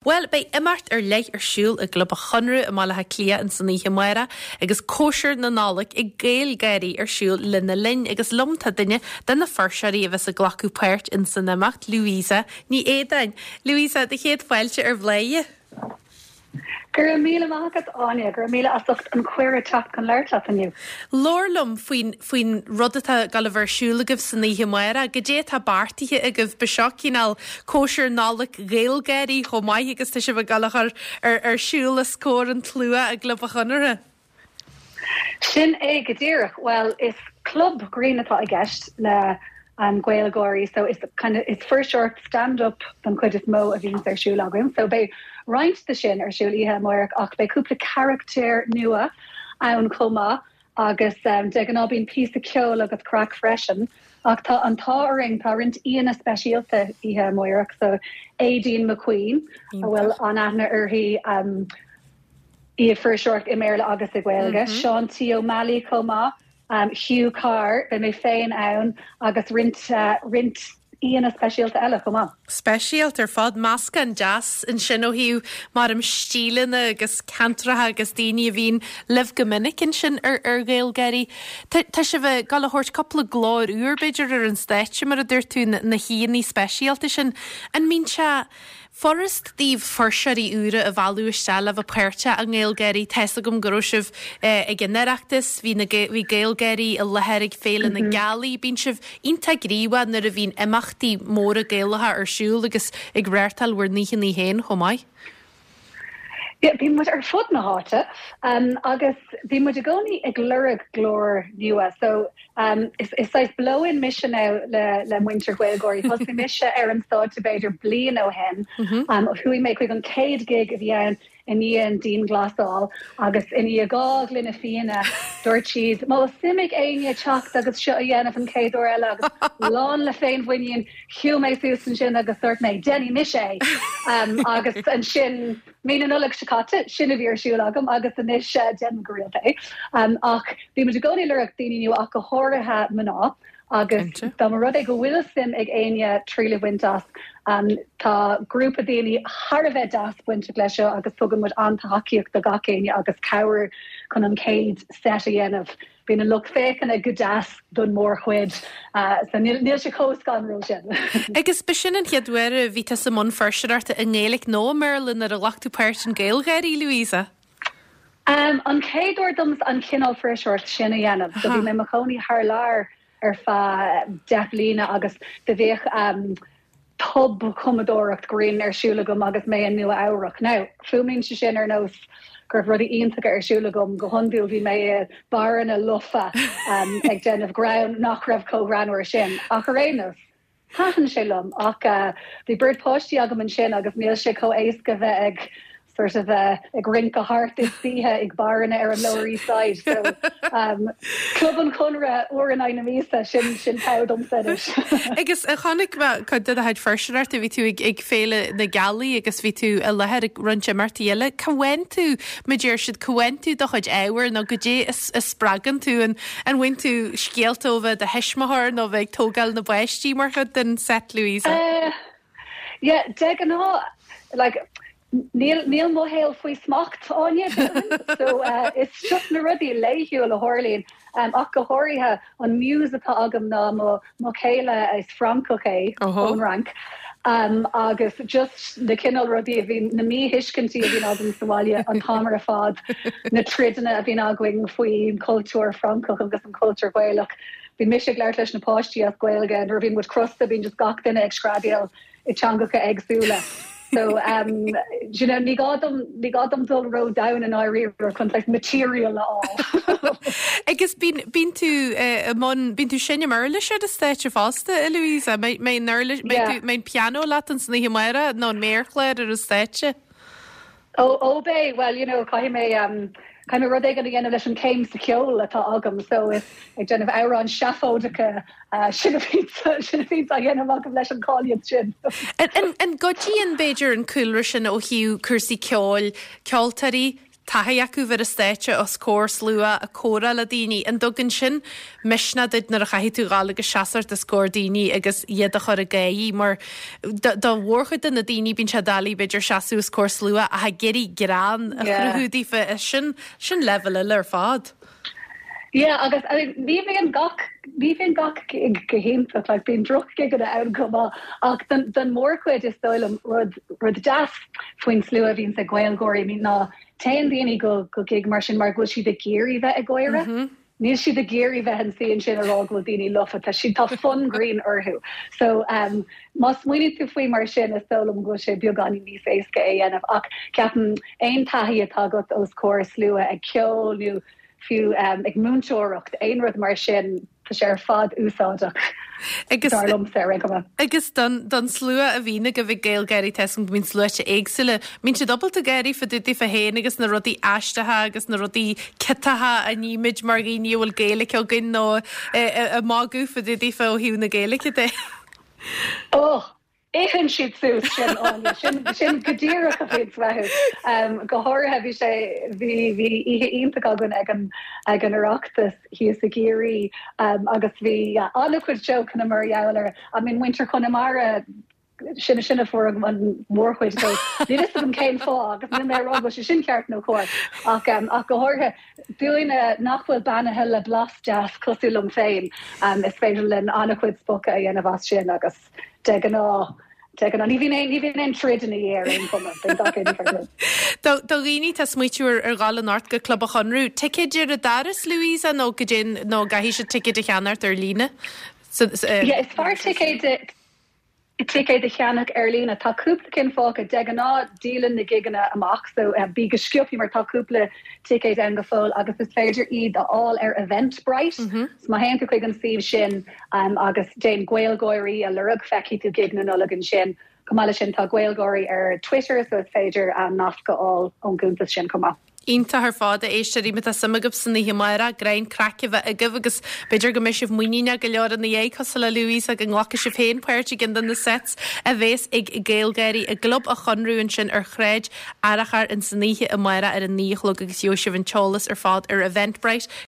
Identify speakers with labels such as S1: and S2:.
S1: Bhuel, beidh imeacht ar leith ar siúl i gClub an Chonradh i mBaile Átha Cliath ins an oíche amárach agus cóisir na Nollag ag GaelGáirí ar siúl lena linn agus liom tá duine de na fuirseoirí a bheas ag glacadh páirt ins an imeacht, Louisa Ní Éadáin. Louisa, do chéad fáilte ar Bhláthnaid.
S2: Go raibh míle maith agat, Áine. Go raibh míle as ucht an cuireadh teacht chun labhairt leat inniu.
S1: Labhair liom faoin, faoin rud atá ag dul a bheith ar siúl agaibh san oíche amárach. Goidé atá beartaithe agaibh? Ba seo cineál cóisir Nollag GhaelGáirí chomh maith agus tá sibh ag dul a chur ar, ar siúl os comhair an tslua i gClub an Chonartha.
S2: Sin é go díreach. Bhuel, is club grinn atá i gceist le GaelGáirí so is kind of, is fuirseoireacht stand up don chuid is mó a bhíonns ar siúl againn. So beidh roinnt de sin ar siúl oíche amárach ach beidh cúpla carachtar nua ann chomh maith agus de ghnáth bíonn píosa ceoil agus craic freisin. Ach tá an t-ádh orainn, tá roinnt aíonna speisialta oíche amárach so Aideen McQueen a bhfuil an-aithne uirthi, í ag fuirseoireacht i mBéarla agus i Gaeilge, Seán T. Ó Meallaigh chomh maith, Hugh Carr, beidh mé féin ann agus roinnt roinnt aíonna speisialta eile chomh maith.
S1: Speisialta ar fad, meascán deas ansin ó thaobh maram stíleanna agus ceantracha agus daoine a bhíonn libh go minic ansin ar ar GhaelGáirí. Tá tá sibh ag dul a thabhairt cúpla glór úr b'fhéidir ar an stáitse mar a dúirt tú, na haíonna speisialta sin. An mbíonn sé Furast daoibh fuirseoirí úra a mhealladh isteach le bheith páirteach i nGaelGáirí. Tá's agam go raibh sibh ag an Oireachtas, bhí na bhí GaelGáirí i láthair ag Féile na Gealaí. Bíonn sibh iontach gníomhach nuair a bhíonn imeachtaí móra Gaelacha ar siúl agus ag reáchtáil bhur n-oícheanna féin chomh maith.
S2: Yeah, bíonn muid ar fud na háite agus bíonn muid i gcónaí ag lorg glór nua. So is is saghas blow-in mise now le le muintir GhaelGáirí. Thosaigh mise ar an stáitse b'fhéidir bliain ó shin. Chuaigh mé chuig an chéad gig a bhí ann i ndiaidh an dianghlasáil agus i ndiaidh 2 ghloine fíona dúirt siad má bhfuil suim ag éinne teacht agus seo a dhéanamh an chéad uair eile agus lán le féinmhuinín Shiúil mé suas ansin agus dúirt mé, 'Déanfaidh mise é! Agus ansin, mí na Nollag seo caite, sin a bhí ar siúl agam agus anois déanaim go rialta é. Ach bíonn muid i gcónaí ag lorg daoine nua ach go háirithe mná agus dá mba rud é go bhfuil suim ag éinne triail a bhaint as, tá grúpa daoine thar a bheith deas bainteach leis seo agus tugann muid an-tacaíocht do gach éinne agus cabhair chun an chéad set a dhéanamh. Bíonn an lucht féachana go deas don mórchuid, so níl sé chomh scanrúil sin.
S1: Agus b'shin an chéad uair a bhí tusa i mbun fuirseoireachta i nGaeilge nó i mBéarla nuair a ghlac tú páirt in GaelGáirí, Louisa?
S2: An chéad uair domsa an cineál fuirseoireacht sin a dhéanamh. So bhí mé i mo chónaí thar lear ar feadh 10 bliana agus do bhíodh tobchumadóireacht grinn ar siúl agam agus mé i Nua Eabhrac. Now, fuaimníonn sé sin ar nós go raibh rudaí iontacha ar siúl agam, go hiondúil bhí mé i barranna lofa ag déanamh greann nach raibh chomh greannmhar sin, ach ar aon nós, thaitin sé liom. Ach bhí beirt páistí agam ansin agus níl sé chomh éasca bheith ag sort of ag rince thart istoíche ag barranna ar an Lower East Side so Club an Chonradh uair in aghaidh na míosa sin sin togha domsa
S1: anois. Agus chonaic mé cuid de do chuid fuirseoireachta, bhí tú ag ag Féile na Gealaí agus bhí tú i láthair ag roinnt imeachtaí eile. Cá bhfaigheann tú, mar a deir siad, cá bhfaigheann tú do chuid ábhair nó goidé a a spreagann tú an an bhfaigheann tú scéalta ó bheith i do thuismitheoir nó bheith ag tógáil na bpáistí mar chuid den set, Louisa?
S2: Yeah, de ghnáth, like, níl, níl mo shaol faoi smacht, Áine, déarfainn. So, is just na rudaí laethúil a tharlaíonn, ach go háirithe an muse atá agam ná mo, mo chéile, is Francach é, ón Fhrainc, agus just na cineál rudaí a bhíonn, na míthuiscintí a bhíonn agam sa bhaile an t-am ar fad, na troideanna a bhíonn againn faoin cultúr Francach agus an cultúr Gaelach. Bíonn mise ag labhairt leis na páistí as Gaeilge, nuair a bhíonn muid crosta bíonn just gach duine ag screadaíl i dteangacha éagsúla. So um, you know, ní gá dom, ní gá dom dul ró-domhain i ndáiríre chun like, material a fháil.
S1: Agus bíonn, bíonn tú eh, i mbun, bíonn tú ag seinm uirlis ar an stáitse fosta, a Louisa? Mbeidh, mbeidh an uirlis, mbeidh tú, mbeidh an pianó leat ins an oíche amárach nó an méarchlár ar an stáitse?
S2: Ó, ó beidh, bhuel, you know, caithfidh mé, caithfidh mé rud éigin a dhéanamh leis an chéim sa cheol atá agam, so is ag déanamh amhráin seafóideacha, sin a bhíonns, sin a bhíonns á dhéanamh agam leis an cáilíocht sin.
S1: An, an gcuidíonn, b'fhéidir, an cúlra sin ó thaobh cúrsaí ceoil, ceoltóirí? taithí acu bheith ar an stáitse os comhair slua ag comhrá le daoine. An dtugann sin misneach duit nuair a chaithfidh tú dhul agus seasamh os comhair daoine agus iad a chur ag gáirí mar do mhórchuid de na daoine bíonn sé doiligh b'fhéidir seasamh os comhair slua ach ag iarraidh greann a chruthú daofa sin sin leibhéal eile ar fad.
S2: Yeah agus I mean ní bhíonn gach ní bhíonn gach gig go hiontach like bíonn droch-ghigeanna ann chomh maith ach don don mórchuid is dóigh liom rud rud deas faoin slua a bhíonns ag GaelGÁIRÍ I mean ná téann daoine go go gig mar sin mar go bhfuil siad ag iarraidh bheith ag gáire. Mm -hmm. Níl siad ag iarraidh bheith ina suí ansin ag rá go bhfuil daoine lofa, tá siad, tá fonn grinn orthu. So um má smaoiníonn tú faoi mar sin is dóigh liom go bhfuil sé beagáinín níos éasca é a dhéanamh ach ceapaim aon taithí atá agat os comhair slua ag ceol nó fiú um ag múinteoireacht, aon rud mar sin, tá sé ar fad úsáideach
S1: Agus dar liomsa ar aon chuma. Agus don don slua a bhíonn agaibh ag GaelGÁIRÍ tá a fhios agam go mbíonn sluaite éagsúla. Mbíonn siad ábalta gáirí fá dtaobh daofa féin agus na rudaí aisteacha agus na rudaí ciotacha a nímid mar dhaoine a bhfuil Gaeilge againn nó ag magadh fá dtaobh daofa ó thaobh na Gaeilge de.
S2: Oh! Itheann siad suas sin, Áine. Sin, sin go díreach a bhíonns uathu. Go háirithe bhí sé, bhí, bhí oíche iontach againn ag an, ag an Oireachtas thíos i gCiarraí agus bhí an-chuid jokeanna mar gheall ar, I mean muintir Chonamara, sin, sin a fuair an mhórchuid dó. Níl fhios agam cén fáth agus níl mé ag rá go bhfuil sé sin ceart nó cóir ach, ach go háirithe dúinne nach bhfuil beannaithe le blas deas cosúil liom féin, is féidir linn an-chuid spochadh a dhéanamh as sin agus. De ghnáth, de ghnáth. Ní bhíonn aon, ní bhíonn aon troid ina dhiaidh ar aon chuma. Bíonn gach éinne far
S1: dtús. Do, do dhaoine atá ag smaoitiú ar, ar dhul anocht go Club an Chonradh, ticéid ar an doras, Louisa, nó goidé, nó an gcaithfidh siad ticéid a cheannacht ar líne?
S2: Sa, sa, Yeah, is fearr ticéid, ticéid a cheannach ar líne. Tá cúpla cinn fágtha. De ghnáth, díolann na gigeanna amach, so bí go sciobtha mar tá cúpla ticéid ann go fóill agus is féidir iad a fháil ar Eventbrite. So má théann tú chuig an suíomh sin agus déan GaelGÁIRÍ a lorg, feicfidh tú gig na Nollag ansin. Chomh maith leis sin tá GaelGÁIRÍ ar Twitter so is féidir nasc a fháil ón gcuntas sin chomh maith.
S1: Iontach ar fad, a éisteoirí, má tá suim agaibh san oíche amárach, greann craic a bheith agaibh agus b'fhéidir go mbeidh sibh muiníneach go leor ina dhiaidh, cosúil le Louisa, go nglacfaidh sibh féin páirt i gceann de na sets a bhéas ag GaelGÁIRÍ i gClub an Chonradh ansin ar Shráid Fhearchair ins an oíche amárach ar a 9 a chlog agus gheobhaidh sibh an t-eolas ar fad ar Eventbrite.